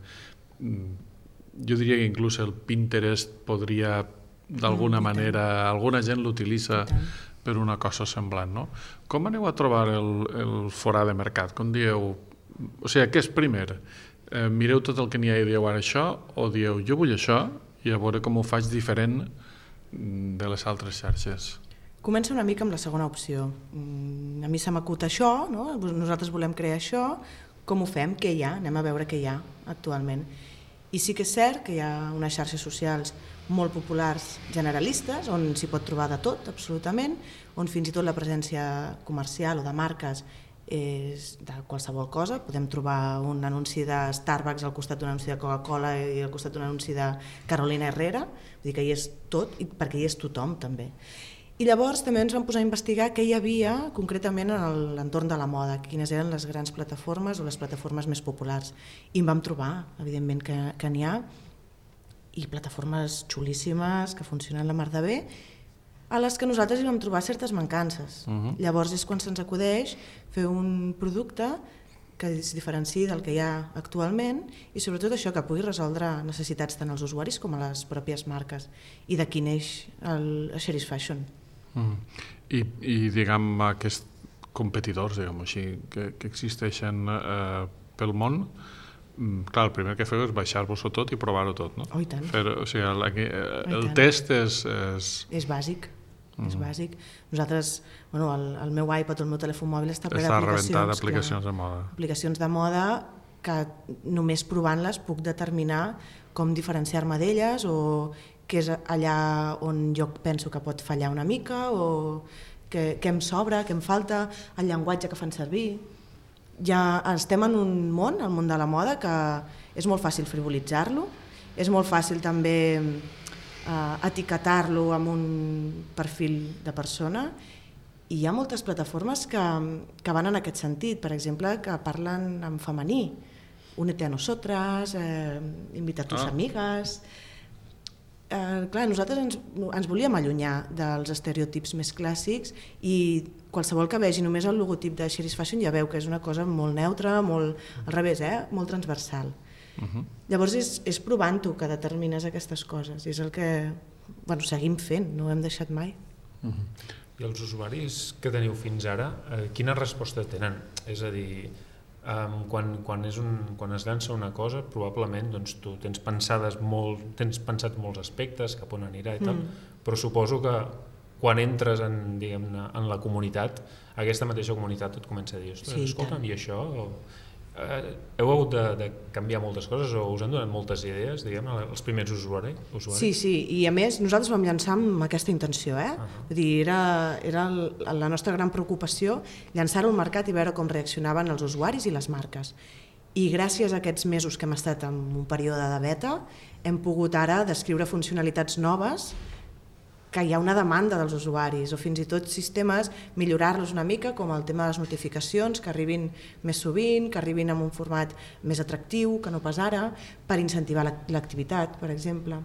jo diria que inclús el Pinterest podria, d'alguna manera, alguna gent l'utilitza per una cosa semblant, no? Com aneu a trobar el forà de mercat? Com dieu, o sigui, què és primer? Mireu tot el que n'hi ha i dieu ara això, o dieu, jo vull això, i a veure com ho faig diferent de les altres xarxes? Comença una mica amb la segona opció. A mi se m'acut això, no? Nosaltres volem crear això, com ho fem? Què hi ha? Anem a veure què hi ha actualment. I sí que és cert que hi ha unes xarxes socials molt populars generalistes, on s'hi pot trobar de tot, absolutament, on fins i tot la presència comercial o de marques és de qualsevol cosa. Podem trobar un anunci de Starbucks al costat d'un anunci de Coca-Cola i al costat d'un anunci de Carolina Herrera, vull dir que hi és tot, perquè hi és tothom també. I llavors també ens vam posar a investigar què hi havia concretament en l'entorn de la moda, quines eren les grans plataformes o les plataformes més populars. I en vam trobar, evidentment, que n'hi ha, i plataformes xulíssimes que funcionen la mar de bé, a les que nosaltres hi vam trobar certes mancances. Llavors és quan se'ns acudeix fer un producte que es diferenciï del que hi ha actualment i sobretot això, que pugui resoldre necessitats tant als usuaris com a les pròpies marques. I d'aquí neix el Sherish Fashion. I diguem, aquests competidors, diguem així, que existeixen pel món, clar, el primer que feu és baixar-vos-ho tot i provar-ho tot, no? Oh, i tant. O sigui, el test és... És bàsic. És bàsic. Nosaltres, el meu iPad o el meu telèfon mòbil està ple d'aplicacions. Està rebentat d'aplicacions de moda. Aplicacions de moda que només provant-les puc determinar com diferenciar-me d'elles o què és allà on jo penso que pot fallar una mica o què em sobra, què em falta, el llenguatge que fan servir. Ja estem en un món, el món de la moda, que és molt fàcil frivolitzar-lo, és molt fàcil també etiquetar-lo amb un perfil de persona i hi ha moltes plataformes que van en aquest sentit, per exemple, que parlen en femení, únete a nosotras, invita a tus amigues. Clar, nosaltres ens volíem allunyar dels estereotips més clàssics i qualsevol que vegi només el logotip de Sheris Fashion ja veu que és una cosa molt neutra, molt al revés, molt transversal. Llavors és provant-ho que determines aquestes coses i és el que seguim fent, no ho hem deixat mai. I els usuaris que teniu fins ara, quina resposta tenen? És a dir, quan es llança una cosa, probablement tu tens pensat molts aspectes, cap on anirà i tal, però suposo que quan entres en la comunitat, aquesta mateixa comunitat et comença a dir, escolta'm, i això... Heu hagut de canviar moltes coses o us han donat moltes idees, els primers usuaris? Sí, i a més nosaltres vam llançar amb aquesta intenció, Vull dir, era la nostra gran preocupació llançar-ho al mercat i veure com reaccionaven els usuaris i les marques. I gràcies a aquests mesos que hem estat en un període de beta hem pogut ara descriure funcionalitats noves que hi ha una demanda dels usuaris o fins i tot sistemes, millorar-los una mica com el tema de les notificacions, que arribin més sovint, que arribin en un format més atractiu, que no pas ara, per incentivar l'activitat, per exemple.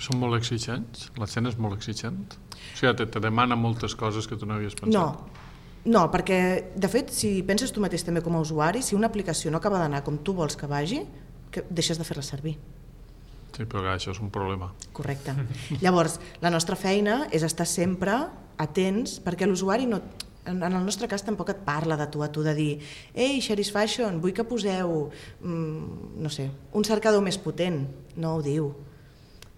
Són molt exigents? La gent és molt exigent? O sigui, te demana moltes coses que tu no havies pensat? No, perquè de fet, si penses tu mateix també com a usuari, si una aplicació no acaba d'anar com tu vols que vagi, deixes de fer-la servir. Sí, però això és un problema. Correcte. Llavors, la nostra feina és estar sempre atents, perquè l'usuari no... En el nostre cas tampoc et parla de tu a tu, de dir «Ei, Sheris Fashion, vull que poseu, no sé, un cercador més potent». No ho diu.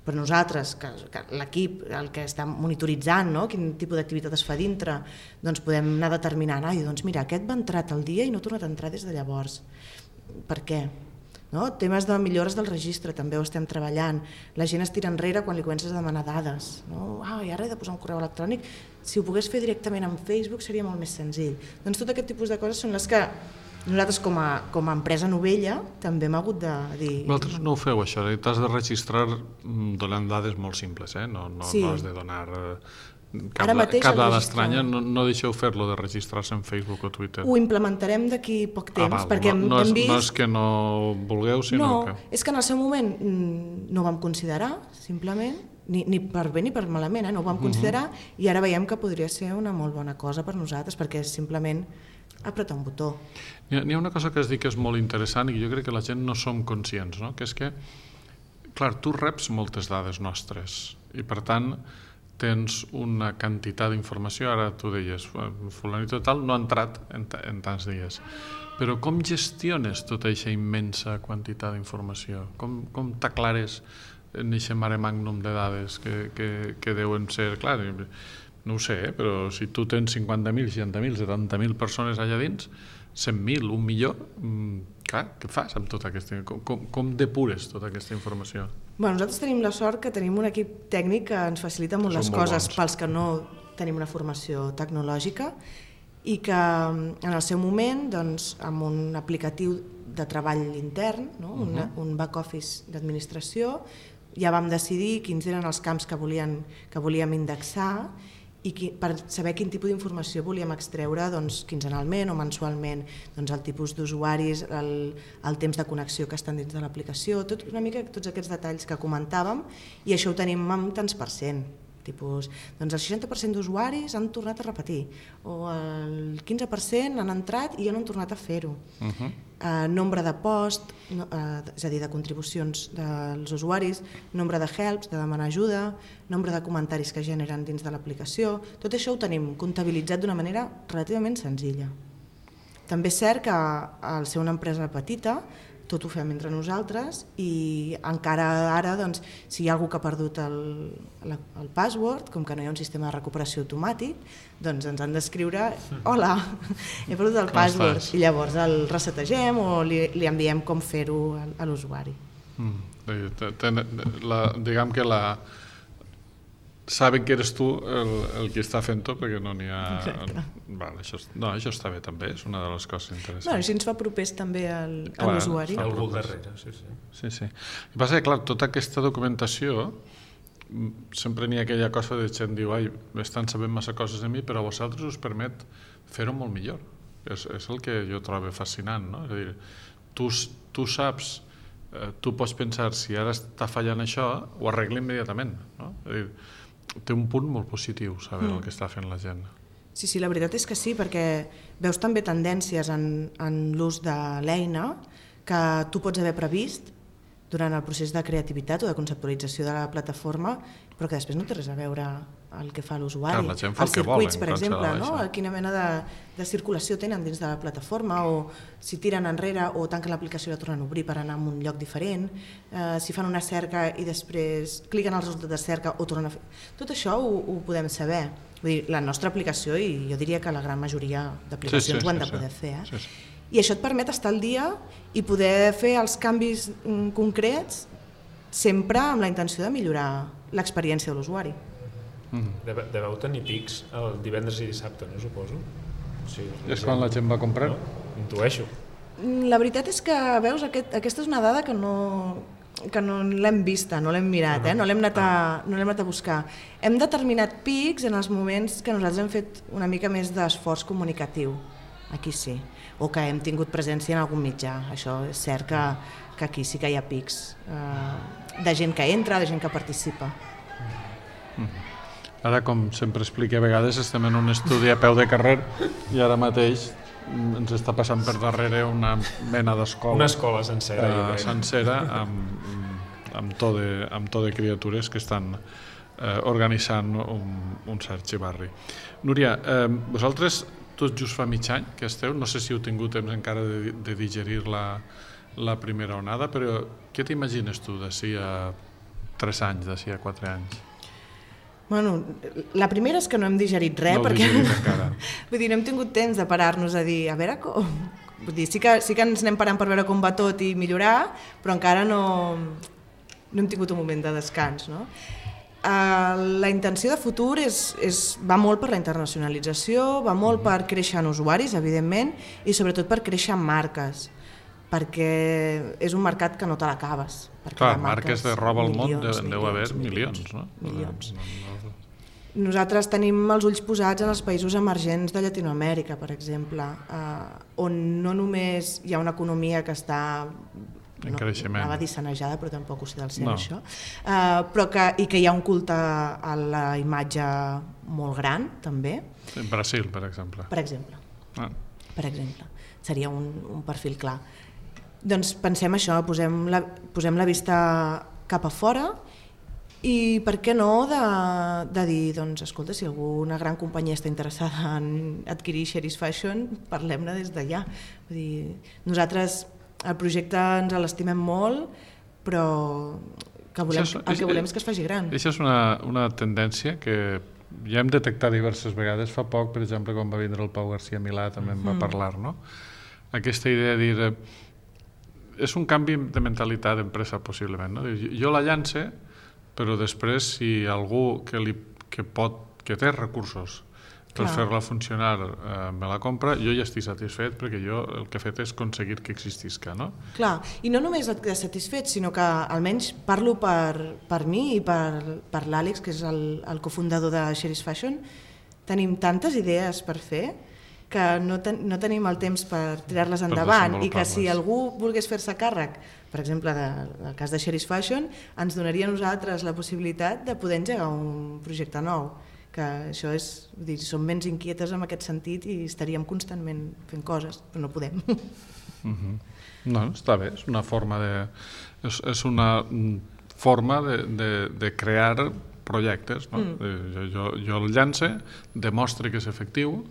Però nosaltres, que l'equip, el que està monitoritzant, quin tipus d'activitat es fa dintre, doncs podem anar determinant, doncs mira, aquest va entrar tal dia i no ha tornat a entrar des de llavors. Per què? Temes de millores del registre també ho estem treballant. La gent es tira enrere quan li comences a demanar dades. I ara he de posar un correu electrònic. Si ho pogués fer directament en Facebook seria molt més senzill. Doncs tot aquest tipus de coses són les que nosaltres com a empresa novella també hem hagut de dir... Vosaltres no ho feu això, t'has de registrar donant dades molt simples, no has de donar... Cap dada estranya, no deixeu fer-lo de registrar-se en Facebook o Twitter. Ho implementarem d'aquí poc temps, perquè hem vist... No és que no vulgueu, sinó que... No, és que en el seu moment no ho vam considerar, simplement, ni per bé ni per malament, no ho vam considerar, i ara veiem que podria ser una molt bona cosa per nosaltres, perquè és simplement apretar un botó. N'hi ha una cosa que has dit que és molt interessant i jo crec que la gent no som conscients, que és que, clar, tu reps moltes dades nostres i per tant tens una quantitat d'informació, ara tu deies, fulanito tal no ha entrat en tants dies, però com gestiones tota aquesta immensa quantitat d'informació? Com t'aclares en aquest mare magnum de dades que deuen ser, clar, no ho sé, però si tu tens 50.000, 60.000, 70.000 persones allà dins, 100.000, 1 milió, clar, què fas amb tota aquesta... Com depures tota aquesta informació? Nosaltres tenim la sort que tenim un equip tècnic que ens facilita molt les coses pels que no tenim una formació tecnològica i que en el seu moment, amb un aplicatiu de treball intern, un back office d'administració, ja vam decidir quins eren els camps que volíem indexar i per saber quin tipus d'informació volíem extreure quinzenalment o mensualment, el tipus d'usuaris, el temps de connexió que estan dins de l'aplicació, una mica tots aquests detalls que comentàvem, i això ho tenim en tants %. Tipus, el 60% d'usuaris han tornat a repetir, o el 15% han entrat i han tornat a fer-ho. Nombre de post, és a dir, de contribucions dels usuaris, nombre de helps, de demanar ajuda, nombre de comentaris que generen dins de l'aplicació, tot això ho tenim comptabilitzat d'una manera relativament senzilla. També és cert que al ser una empresa petita tot ho fem entre nosaltres i encara ara, doncs, si hi ha algú que ha perdut el password, com que no hi ha un sistema de recuperació automàtic, doncs ens han d'escriure hola, he perdut el password, i llavors el resetegem o li enviem com fer-ho a l'usuari. Diguem que saben que eres tu el que està fent-ho perquè no n'hi ha... Això està bé també, és una de les coses interessants. Així ens fa propers també a l'usuari. Algú darrere, sí. El que passa que, clar, tota aquesta documentació sempre n'hi ha aquella cosa de gent diu estan sabent massa coses de mi, però a vosaltres us permet fer-ho molt millor. És el que jo trobo fascinant, no? És a dir, tu saps, tu pots pensar si ara està fallant això, ho arregla immediatament, no? És a dir, té un punt molt positiu saber el que està fent la gent. Sí, la veritat és que sí, perquè veus també tendències en l'ús de l'eina que tu pots haver previst durant el procés de creativitat o de conceptualització de la plataforma, però que després no té res a veure el que fa l'usuari. Els circuits, per exemple, no? Quina mena de circulació tenen dins de la plataforma, o si tiren enrere o tanquen l'aplicació i la tornen a obrir per anar a un lloc diferent, si fan una cerca i després cliquen al resultat de cerca o tornen a fer... Tot això ho podem saber. Vull dir, la nostra aplicació, i jo diria que la gran majoria d'aplicacions ho han de poder fer. I això et permet estar al dia i poder fer els canvis concrets sempre amb la intenció de millorar l'experiència de l'usuari. Deveu tenir pics el divendres i dissabte, no suposo? És quan la gent va comprar? Intueixo. La veritat és que, veus, aquesta és una dada que no l'hem vista, no l'hem mirat, no l'hem anat a buscar. Hem determinat pics en els moments que nosaltres hem fet una mica més d'esforç comunicatiu, aquí sí, o que hem tingut presència en algun mitjà. Això és cert que aquí sí que hi ha pics de gent que entra, de gent que participa. Ara, com sempre explico a vegades, estem en un estudi a peu de carrer i ara mateix ens està passant per darrere una mena d'escola. Una escola sencera. Sencera amb to de criatures que estan organitzant un cert xivarri. Núria, vosaltres tots just fa mig any que esteu, no sé si heu tingut temps encara de digerir la primera onada, però què t'imagines tu d'ací a 3 anys, d'ací a 4 anys? Bueno, la primera és que no hem digerit res, perquè vull dir, no hem tingut temps de parar-nos a dir, a veure com... Vull dir, sí que ens anem parant per veure com va tot i millorar, però encara no hem tingut un moment de descans, no? La intenció de futur va molt per la internacionalització, va molt per créixer en usuaris, evidentment, i sobretot per créixer en marques, perquè és un mercat que no te l'acabes. Clar, marques de roba al món deu haver milions, no? Milions. Nosaltres tenim els ulls posats en els països emergents de Llatinoamèrica, per exemple, on no només hi ha una economia que està en creixement, anava a dir sanejada, però tampoc ho sé del cert, això, però i que hi ha un culte a la imatge molt gran, també. En Brasil, per exemple. Per exemple. Per exemple. Seria un perfil clar. Doncs pensem això, posem la vista cap a fora i per què no de dir, doncs, escolta, si alguna gran companyia està interessada en adquirir Xeris Fashion, parlem-ne des d'allà. Vull dir, nosaltres el projecte ens l'estimem molt, però el que volem és que es faci gran. Això és una tendència que ja hem detectat diverses vegades. Fa poc, per exemple, quan va vindre el Pau García Milà, també en va parlar, no? Aquesta idea de dir... És un canvi de mentalitat d'empresa, possiblement, no? Jo la llance, però després, si algú que té recursos per fer-la funcionar me la compra, jo ja estic satisfet, perquè jo el que he fet és aconseguir que existisca, no? Clar, i no només et quedes satisfet, sinó que almenys parlo per mi i per l'Àlex, que és el cofundador de Xeris Fashion, tenim tantes idees per fer que no tenim el temps per tirar-les endavant, i que si algú volgués fer-se càrrec, per exemple, del cas de Xeris Fashion, ens donaria a nosaltres la possibilitat de poder engegar un projecte nou, que això és, vull dir, som ments inquietes en aquest sentit i estaríem constantment fent coses, però no podem. No, està bé, és una forma de crear projectes, no? Jo el llance, demostre que és efectiu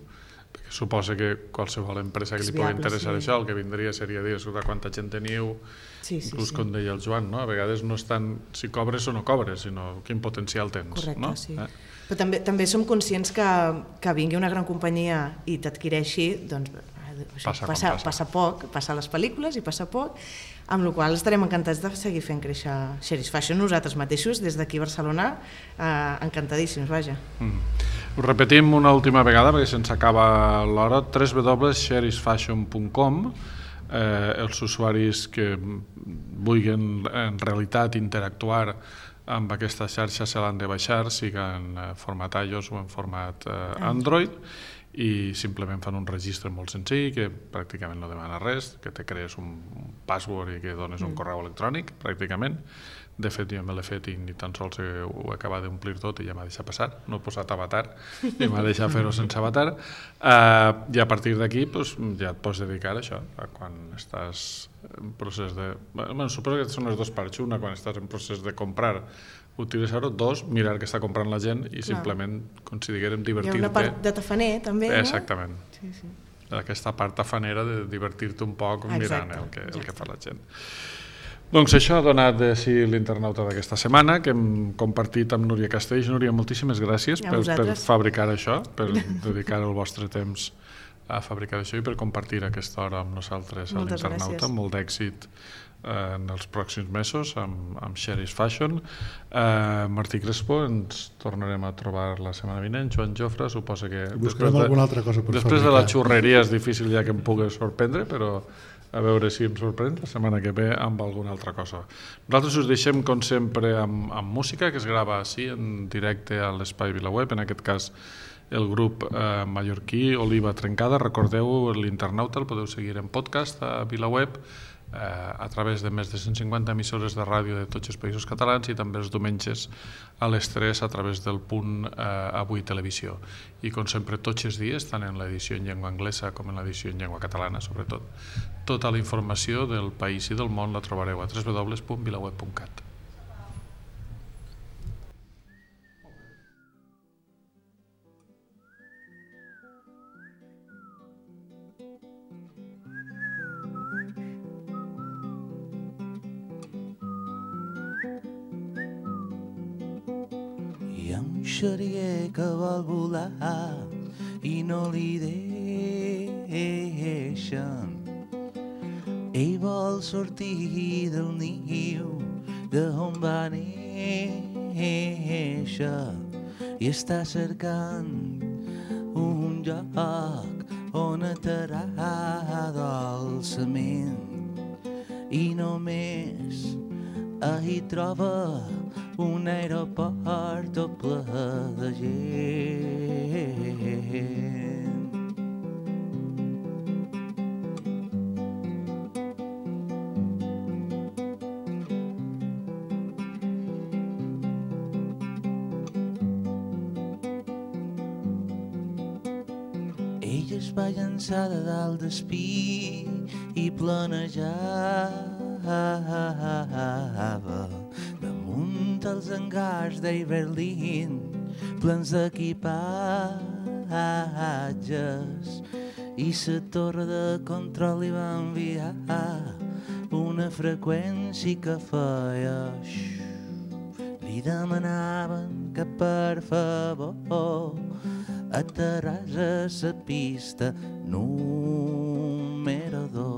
Suposa que qualsevol empresa que li pugui interessar això, el que vindria seria dir quanta gent teniu, inclús com deia el Joan, a vegades no és tant si cobres o no cobres, sinó quin potencial tens. Correcte, sí. Però també som conscients que vingui una gran companyia i t'adquireixi, doncs passa poc, passa les pel·lícules i passa poc, amb la qual cosa estarem encantats de seguir fent créixer Xeris Fashion nosaltres mateixos, des d'aquí a Barcelona, encantadíssims, vaja. Ho repetim una última vegada perquè se'ns acaba l'hora, www.xerisfashion.com. Els usuaris que vulguin en realitat interactuar amb aquesta xarxa se l'han de baixar, siga en format iOS o en format Android, i simplement fan un registre molt senzill que pràcticament no demana res, que te crees un password i que dones un correu electrònic, pràcticament. De fet, jo me l'he fet i ni tan sols ho he acabat d'omplir tot i ja m'ha deixat passar. No he posat avatar i m'ha deixat fer-ho sense avatar. I a partir d'aquí ja et pots dedicar a això, a quan estàs en procés de... Suposo que són les dues parts. Una, quan estàs en procés de comprar, utilitzar-ho. Dos, mirar què està comprant la gent i simplement considerem divertir-te. Hi ha una part de tafaner, també, no? Exactament. Aquesta part tafanera de divertir-te un poc mirant el que fa la gent. Doncs això ha donat de si l'internauta d'aquesta setmana, que hem compartit amb Núria Castells. Núria, moltíssimes gràcies per fabricar això, per dedicar el vostre temps a fabricar això i per compartir aquesta hora amb nosaltres a l'internauta. Molt d'èxit en els pròxims mesos amb Xeris Fashion. Martí Crespo, ens tornarem a trobar la setmana vinent. Joan Jofre, suposa que després de la xurreria és difícil ja que em pugui sorprendre, però a veure si em sorprèn la setmana que ve amb alguna altra cosa. Nosaltres us deixem, com sempre, amb música que es grava així en directe a l'Espai VilaWeb, en aquest cas el grup mallorquí Oliva Trencada. Recordeu, l'internauta el podeu seguir en podcast a VilaWeb, a través de més de 150 emissores de ràdio de tots els països catalans i també els diumenges a les 3 a través del punt Avui Televisió. I com sempre tots els dies, tant en l'edició en llengua anglesa com en l'edició en llengua catalana, sobretot. Tota la informació del país i del món la trobareu a www.vilaweb.cat. Xerier que vol volar i no li deixen. Ell vol sortir del niu d'on va néixer i està cercant un lloc on aterrar dolçament i només hi troba un aeroport tot ple de gent. Ella es va llançar de dalt d'espí i planejava damunt els hangars d'Iberlín plens d'equipatges i la torre de control li va enviar una freqüència que feia li demanaven que per favor aterràs a la pista número 2.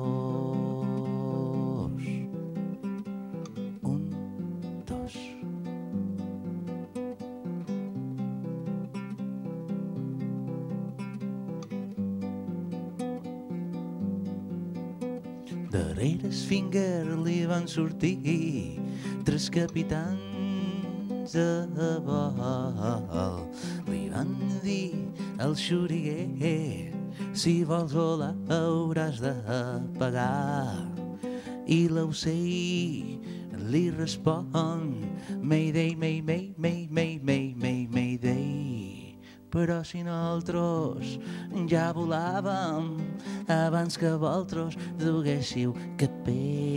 Darrere el Finger li van sortir 3 capitans a vol. Li van dir al xuriguer, si vols volar hauràs de pagar. I l'ocell li respon, Mayday, Mayday, Mayday, Mayday, Mayday. Però si nosaltres ja volàvem abans que vosaltres duguéssiu capell.